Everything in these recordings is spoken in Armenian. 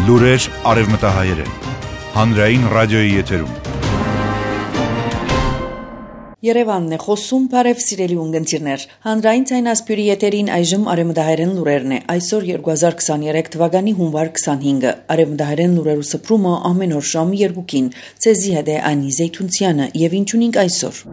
Լուրեր արևմտահայերեն, հանրային ռադիոյի եթերում։ Երևանն է խոսում, բարև սիրելի ունգընտիրներ։ Հանրային ցայնասպյուրի եթերին այժմ արևմտահայերեն լուրերն է։ Այսօր 2023 թվականի հունվար 25-ը։ Արևմտահայերեն լուրերու սփռումը ամեն օր ժամը 2-ին։ Ցեզի հետ է Անի Զեյթունցյանը եւ ինչ ունենք այսօր։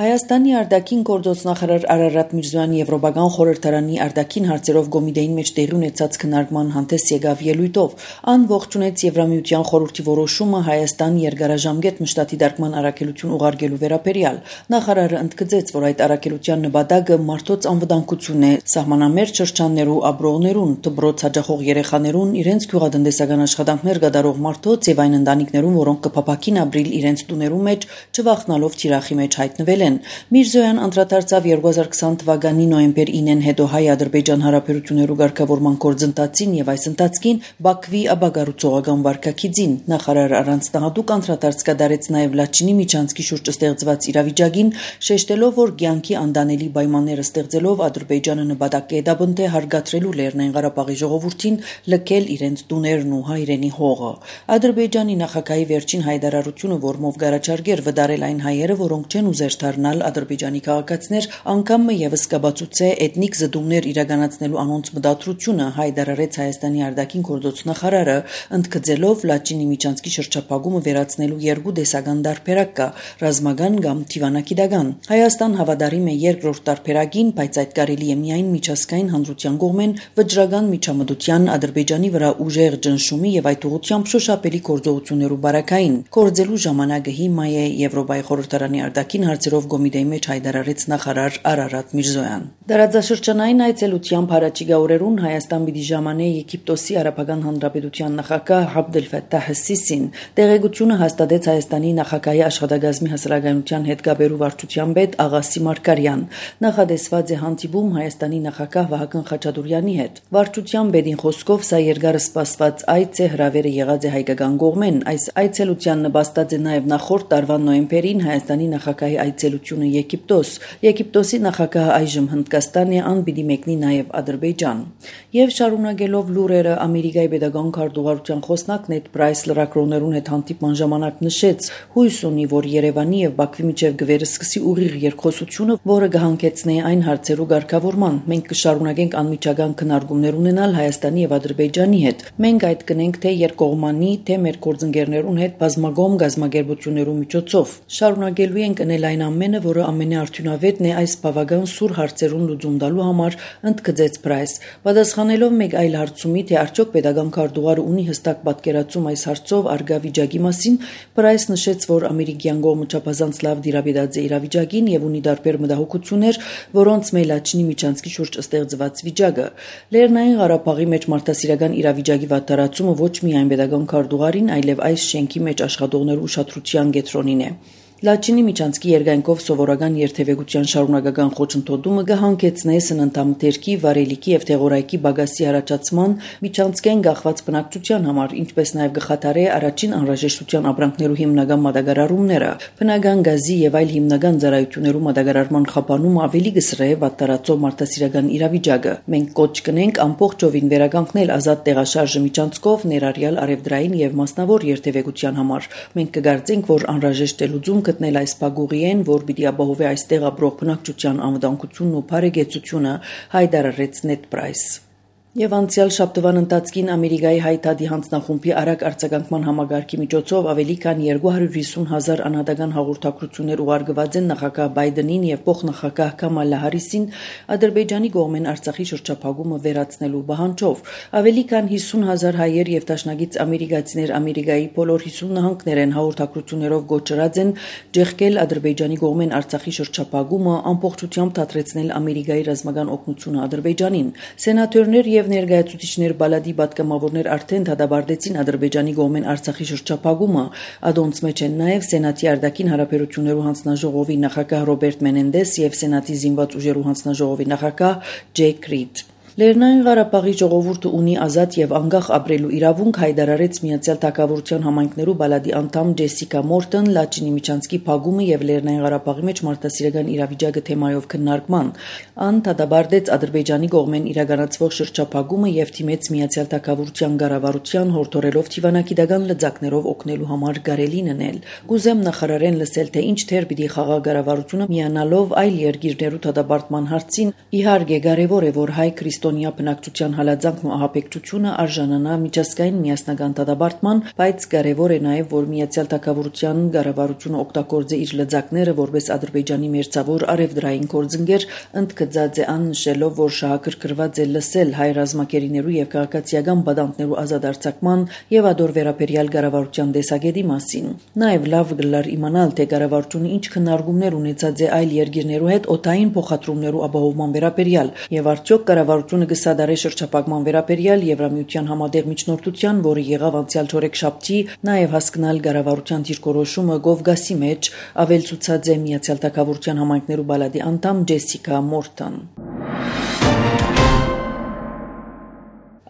Հայաստանի արտաքին գործոստնախարար Արարատ Միրզոյանի Եվրոպական խորհրդարանի արտաքին հարցերով Գոմիդեին մեջ տեղի ունեցած քննարկման հանդես եկավ ելույթով։ Ան ողջունեց Եվրամիության խորհրդի որոշումը Հայաստան երկարաժամկետ մշտատի դարկման առաքելություն ուղարկելու վերաբերյալ։ Նախարարը ընդգծեց, որ այդ առաքելության նպատակը մարդոց անվտանգությունն է, սահմանամերձ շրջաններու ապրողներուն, դպրոց հաճախող երեխաներուն, իրենց գյուղատնտեսական աշխատանքներ կատարող մարդոց եւ այն ընտանիքներուն, որոնք կփապակին ապրիլ իրենց տուներու մեջ, չվախնալով թիրախի մեջ հայտնվել են։ Միրզոյան անդրադարձավ 2020 թվականի նոյեմբեր 9-ին հետո հայ-ադրբեջան հարաբերություններու ղեկավարման գործընթացին եւ այս ընթացքին Բաքվի աբագարուցողական վարկակիցին։ Նախարարը առանց տահադուկ անդրադարձ կատարեց նաեւ Լաչինի միջանցքի շուրջ ստեղծված իրավիճակին, շեշտելով, որ կյանքի անդանելի պայմանները ստեղծելով Ադրբեջանը նպատակ է դաբնթե հարգադրելու Լեռնային Ղարաբաղի ժողովրդին լքել իրենց տուներն ու հայրենի հողը։ Ադրբեջանի նախագահի վերջին հայտարարությունը, որմով գարաչարգեր վդարել այն հայերը, որոնք չեն ուզեր դառնալ ադրբեջանի քաղաքացիներ, անգամ եւս կբացուցե էթնիկ զդումներ իրականացնելու անոնց մտադրությունը, հայտարարեց Հայաստանի արտաքին գործոստնախարարը, ընդգծելով Լաչինի միջանցքի շրջափակումը վերացնելու երկու տեսական տարբերակ կա՝ ռազմական կամ թիվանակիտական։ Հայաստան հավատարիմ է երկրորդ տարբերակին, բայց այդ կարելի է միայն միջազգային հանրության կողմեն վճռական միջամտության, Ադրբեջանի վրա ուժեղ ճնշումի եւ այդ ուղղությամբ շոշափելի գործողություններու բարակային։ Կորձելու ժամանակը հիմա է Եվրոպայի խորհրդարանի արտաքին հարցերով Գոմիդեի մեջ հայտարարեց նախարար Արարատ Միրզոյան։ Դարաձաշրջանային այցելությամբ հարաճիգա օրերուն Հայաստան պիտի ժամանե Եգիպտոսի Արաբական Հանրապետության նախագահ Աբդել Ֆաթահ Սիսին։ Տեղեկությունը հաստատեց Հայաստանի նախագահի աշխատակազմի հասարակայնության հետ կապերու վարչության պետ Աղասի Մարկարյան։ Նախադեсված է հանդիպում Հայաստանի նախագահ Վահագն Խաչատուրյանի հետ։ Վարչության պետին խոսքով սա երկար սպասված այց է, հրավերը եղած է հայկական կողմեն։ Այս այցելության նպաստած է նաև նախորդ տարվա նոյեմբերին Հայաստանի նախագահի այցելությունը Եգիպտոս։ Եգիպտոսի նախագահը այժմ Հնդկաստան է, ան պիտի մեկնի նաև Ադրբեջան։ Եվ շարունակելով լուրերը, Ամերիկայի պետական քարտուղարության խոսնակ Նեդ Պրայս լրագրողներուն հետ հանդիպման ժամանակ նշեց, հույս ունի, որ Երևանի եւ Բաքվի միջև կվերսկսի ուղիղ երկխոսությունը, որը կհանգեցնի այն հարցերու ղեկավարման։ Մենք կշարունակենք անմիջական քննարկումներ ունենալ Հայաստանի եւ Ադրբեջանի հետ։ Մենք այդ կնենք թե երկկողմանի, թե մեր գործընկերներուն հետ բազմագոմ գազམ་ագերբություններու միջոցով։ Շարունակելու ենք անել այն ամենը, որը ամենաարդյունավետն է այս բավական սուր հարցերուն լուծում տալու համար, ընդգծեց Պրայս։ Պատասխանելով մեկ այլ հարցումի, թե արդյոք պետական քարտուղարը ունի հստակ պատկերացում այս հարցով արգա վիճակի մասին, Պրայս նշեց, որ ամերիկյան կողմը չափազանց լավ դիրապետած է իրավիճակին եւ ունի տարբեր մտահոգություններ, որոնց Մելաչինի միջանցքի շուրջ ստեղծված վիճակը։ Լեռնային Ղարաբաղի մեջ մարդասիրական իրավիճակի վատթարացումը ոչ միայն պետական քարտուղարին, այլև այս շենքի մեջ աշխատողներու ուշադրության կենտրոնին է։ Լաչինի միջանցքի երկայնքով սովորական երթևեկության շարունակական խոչընդոտումը կհանգեցնի սննդամթերքի, վարելիքի եւ թեղորայքի բագասի առաջացման, միջանցքեն գախված բնակչության համար, ինչպես նաեւ կխաթարի առաջին անհրաժեշտության ապրանքներու հիմնական մատակարարումները, բնական գազի եւ այլ հիմնական ծառայություններու մատակարարման խափանումը ավելի կսրե վատթարացող մարդասիրական իրավիճակը։ Մենք կոչ կնենք ամբողջովին վերականգնել ազատ տեղաշարժը միջանցքով ներառյալ արևդրային եւ մասնավոր երթևեկության համար։ Մենք կգործենք, որ անհրաժեշտ է լուծում գտնել այս բագուղիեն, որ պիտի ապահովի այստեղ ապրող բնակչության անվտանգությունն ու բարեկեցությունը, հայտարարեց Նեդ Պրայս։ Եվ անցյալ շաբթվան ընթացքին Ամերիկայի հայտարարի հանձնախումբի արագ արձագանքման համագարկի միջոցով ավելի քան 250,000 անհատական հաղորդակցություններ ուղարկված են նախագահ Բայդենին եւ փոխնախագահ Կամալա Հարիսին Ադրբեջանի կողմեն Արցախի շրջափակումը վերացնելու պահանջով։ Ավելի քան 50,000 հայեր եւ դաշնակից ամերիկացիներ Ամերիկայի բոլոր 50 նահանգներեն հաղորդակցություններով գոչրած են ջեղկել Ադրբեջանի կողմեն Արցախի շրջափակումը, ամբողջությամբ դադրեցնել Ամերիկայի ռազմական օգնությունը Ադրբեջանին։ Սենատորներ եւ ներկայացուցիչներ բալադի պատգամավորներ արդեն դադարեցին Ադրբեջանի կողմեն Արցախի շրջափակումը։ Ադոնց մեջ են նաեւ Սենատի արտաքին հարաբերություններու հանձնաժողովի նախագահ Ռոբերտ Մենենդես եւ Սենատի զինված ուժերու հանձնաժողովի նախագահ Ջեյք Ռիդ։ Լեռնային Ղարաբաղի ժողովուրդը ունի ազատ եւ անկախ ապրելու իրավունք, հայտարարեց Միացյալ Թագավորության համայնքներու բալադի անդամ Ջեսիկա Մորտոն Լաչինի միջանցքի փակումը եւ Լեռնային Ղարաբաղի մեջ մարդասիրական իրավիճակը թեմայով քննարկման։ Ան դադարեցրեց Ադրբեջանի կողմեն իրականացվող շրջափակումը եւ թիմեց Միացյալ Թագավորության ղարավարության հորդորելով թիվանակիդական լծակներով օգնելու համար գարելին ընել։ Կուզեմ նախարարեն լսել թե ինչ թեր պիտի խաղա ղարավարությունը միանալով այլ երկիրներու դադարման հարցին։ Իհարկե կարեւոր է որ հայ քրիստոնյա բնակչության հալածանքն ու ահաբեկչությունը արժանանա միջազգային միասնական դատաբարտման, բայց կարևոր է նաև որ Միացյալ Թագավորության ղարավարությունը օգտագործի իր լծակները որպես Ադրբեջանի մերձավոր արևդրային գործընկեր, ընդգծած է ան նշելով, որ շահագրգռված է լսել հայ ռազմակերիներու եւ քաղաքացիական բադանտներու ազատ արձակման եւ ադոր վերաբերյալ ղարավարության տեսակետի մասին։ Նաև լավ գլար իմանալ թե ղարավարությունը ինչ քննարկումներ ունեցած է այլ երկիրներու հետ օդային փոխադրումներու ապահովման վերաբերյալ եւ արդյոք ղարավարությունը կսադարի շրջափակման վերաբերյալ Եվրամիության համատեղ միջնորդության, որը եղավ անցյալ չորեքշաբթի, նաև հասկանալ ղարավարության դիրքորոշումը Կովկասի մեջ, ավելցուցած է Միացյալ Թագավորության համայնքներու բալադի անդամ Ջեսիկա Մորտոն։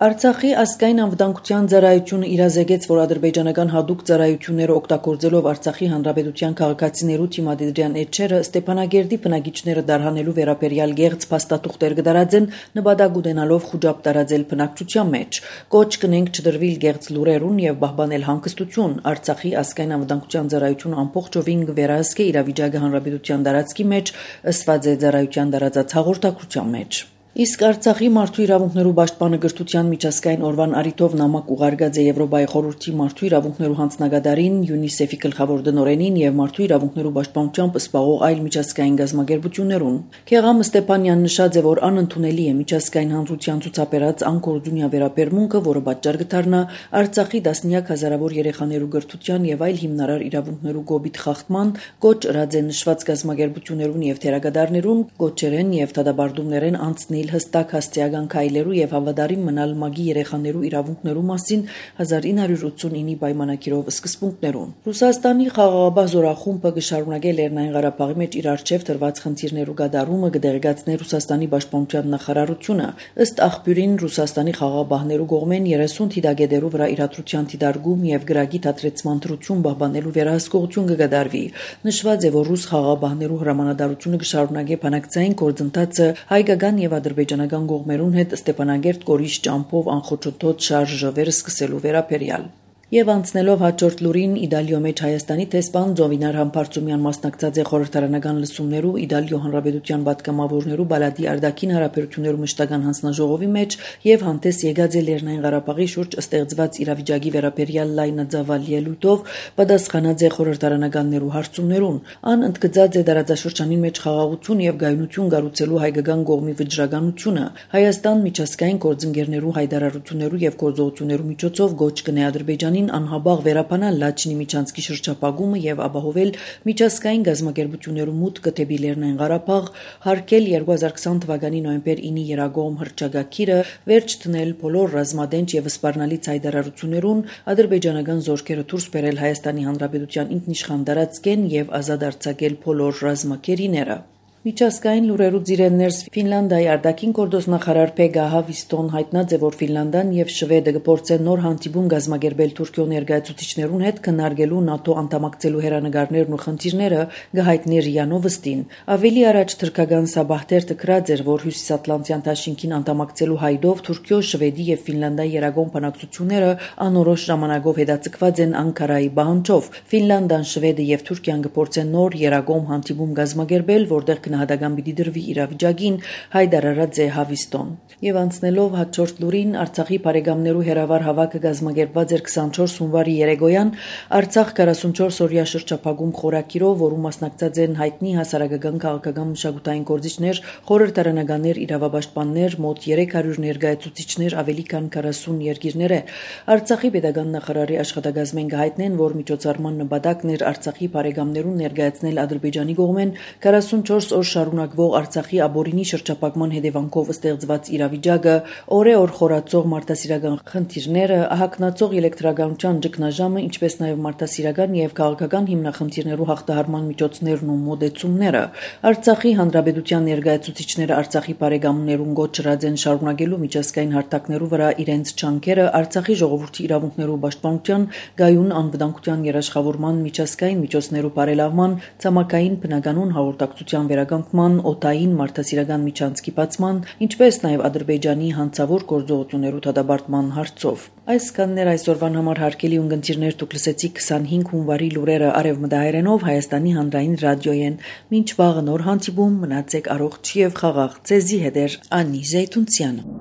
Արցախի ազգային անվտանգության ծառայությունը իրազեկեց, որ ադրբեջանական հատուկ ծառայությունները օգտագործելով Արցախի հանրապետության քաղաքացիներու թիմադիրյան էջերը Ստեփանագերդի բնակիչները դարհանելու վերաբերյալ գեղձ փաստաթուղթեր կդարածեն, նպատակ ունենալով խոճապ տարածել բնակչության մեջ։ Կոչ կնենք չդրվիլ գեղձ լուրերուն եւ պահպանել հանգստություն։ Արցախի ազգային անվտանգության ծառայությունը ամբողջովին կվերահսկի իրավիճակը հանրապետության տարածքի մեջ, ըսված է ծառայության տարածած հաղորդակցության մեջ։ Իսկ Արցախի մարդու իրավունքներու պաշտպանը գրթության միջազգային օրվան առիթով նամակ ուղարկած է Եվրոպայի խորհրդի մարդու իրավունքներու հանձնագետարին, ՅՈՒՆԻՍԵՖ-ի գլխավոր դնորենին եւ մարդու իրավունքներու պաշտպանությամբ սպասող այլ միջազգային գազམ་ագերբություններուն։ Քեղամ Ստեփանյանն նշած է, որ անընդունելի է միջազգային հանրության ցուցաբերած անկորձունյա վերաբերմունքը, որը պատճառ կդառնա Արցախի տասնյակ հազարավոր երեխաներու գրթության եւ այլ հիմնարար իրավունքներու գոբիթ խախտման, կոչ ըրած է նշված գազམ་ագերբություններուն եւ թերագադարներուն, կոչերեն եւ դադարդումներեն անցնել հստակ հաստիական քայլերու եւ հավատարիմ մնալ մագի երեխաներու իրավունքներու մասին 1989-ի պայմանագիրով սկզբունքներուն։ Ռուսաստանի խաղաղապահ զորախումբը կշարունակի Լեռնային Ղարաբաղի մեջ իր արչեւ տրված խնդիրներու գդարումը կդեղեկացնի Ռուսաստանի պաշտպանության նախարարությունը։ Ըստ աղբյուրին Ռուսաստանի խաղաղապահներու կողմեն 30 թիդագետերու վրա իրադրության թիդարգում եւ գրագի դադրեցման դրություն պահպանելու վերահսկողություն կգդարվի։ Նշված է, որ ռուս խաղաղապահներու հրամանատարությունը կշարունակի բանակցային գործընթացը հայկական եւ ադրբեջանական կողմերուն հետ Ստեփանագերտ կորիշ ճամփով անխոչոտ շարժը սկսելու վերաբերյալ։ Եվ անցնելով հաջորդ լուրին Իտալիո մեջ Հայաստանի տեսփան Զովինար Համբարձումյան մասնակցած է խորհրդարանական լսումներու Իտալիո հանրապետության պատգամավորներու բալադի արտաքին հարաբերություններու մշտական հանձնաժողովի մեջ եւ հանդես եկած է Լեռնային Ղարաբաղի շուրջ ստեղծված իրավիճակի վերաբերյալ լայնածավալ ելույթով պատասխանած է խորհրդարանականներու հարցումներուն։ Ան ընդգծած է տարածաշրջանին մեջ խաղաղություն եւ գայունություն կառուցելու հայկական կողմի վճռականությունը։ Հայաստան միջազգային գործընկերներու հայտարարություններու եւ գործողություններու միջոցով գոչ կնե Ադրբեջանի անհաբաղ վերապանալ Լաչինի միջանցքի շրջափակումը եւ ապահովել միջազգային գազམ་ագերբություններու մուտքը դեպի Լեռնային Ղարաբաղ, հարգել 2020 թվականի նոյեմբեր 9-ի երագողմ հռչակագիրը, վերջ դնել բոլոր ռազմադենչ եւ սպառնալից հայտարարություններուն, ադրբեջանական զորքերը դուրս բերել Հայաստանի Հանրապետության ինքնիշխան տարածքեն եւ ազատ արձակել բոլոր ռազմակերիները։ Միջազգային լուրերու ծիրեններս Ֆինլանդիայի արտաքին գործ նախարար Փեգա Հավիստոն հայտնած է, որ Ֆինլանդիան եւ Շվեդը կփորձեն նոր հանդիպում գազམ་ագերբել Թուրքիո ներկայացուցիչներուն հետ քննարկելու ՆԱՏՕ անդամակցելու հերանեկարներն ու խնդիրները, գահիտնի ՌԻԱ Նովոստին։ Ավելի առաջ թրքական Սաբահտեր տկրած էր, որ Հյուսիսատլանտյան դաշինքին անդամակցելու հայդով Թուրքիո, Շվեդի եւ Ֆինլանդիայի երագոմ բանակցությունները անորոշ ժամանակով հետաձգված են Անկարայի պահանջով։ Ֆինլանդիան, Շվեդը եւ Թուրքիան կփորձեն նոր երագոմ հանդիպում գազམ་ագերբել, որտեղ գնահատական պիտի դրվի իրավիճակին, հայտարարած է Հավիստոն։ Եվ անցնելով հաջորդ լուրին, Արցախի բարեկամներու հերավար հավաքը գազམ་ագերբված էր 24 հունվարի երեկոյան Արցախ 44-օրյա շրջափակում խորակիրով, որում մասնակցած են հայտնի հասարակական քաղաքական մշակութային գործիչներ, խորհրդարանականներ, իրավապաշտպաններ, մոտ 300 ներկայացուցիչներ ավելի քան 40 երկիրներ։ Արցախի պետական նախարարի աշխատակազմեն գահիտնեն, որ միջոցառման նպատակն էր Արցախի բարեկամներուն ներկայացնել Ադրբեջանի կողմեն 44 օր շարունակվող Արցախի ապօրինի շրջափակման հետևանքով ստեղծված իրավիճակը, օրեօր խորացող մարդասիրական խնդիրները, ահագնացող էլեկտրականության ճգնաժամը, ինչպես նաև մարդասիրական եւ քաղաքական հիմնախնդիրներու հաղթահարման միջոցներն ու մոդեցումները, Արցախի հանրապետության ներկայացուցիչները Արցախի բարեկամներուն գոչրած են շարունակելու միջազգային հարթակներու վրա իրենց ջանքերը Արցախի ժողովրդի իրավունքներու պաշտպանության, գայուն անվտանգության երաշխավորման, միջազգային միջոցներու բարելավման, ցամաքային բնականոն հաղորդակցության վերականգնման, օդային մարդասիրական միջանցքի բացման, ինչպես նաև Ադրբեջանի հանցավոր գործողություններու դադարեցման հարցով։ Այսքաններ այսօրվան համար հարգելի ունկնդիրներ, դուք լսեցիք 25 հունվարի լուրերը արևմտահայերենով Հայաստանի հանրային ռադիոյեն։ Մինչ վաղը նոր հանդիպում, մնացեք առողջ եւ խաղաղ։ Ձեզի հետ է Անի Զեյթունցյանը։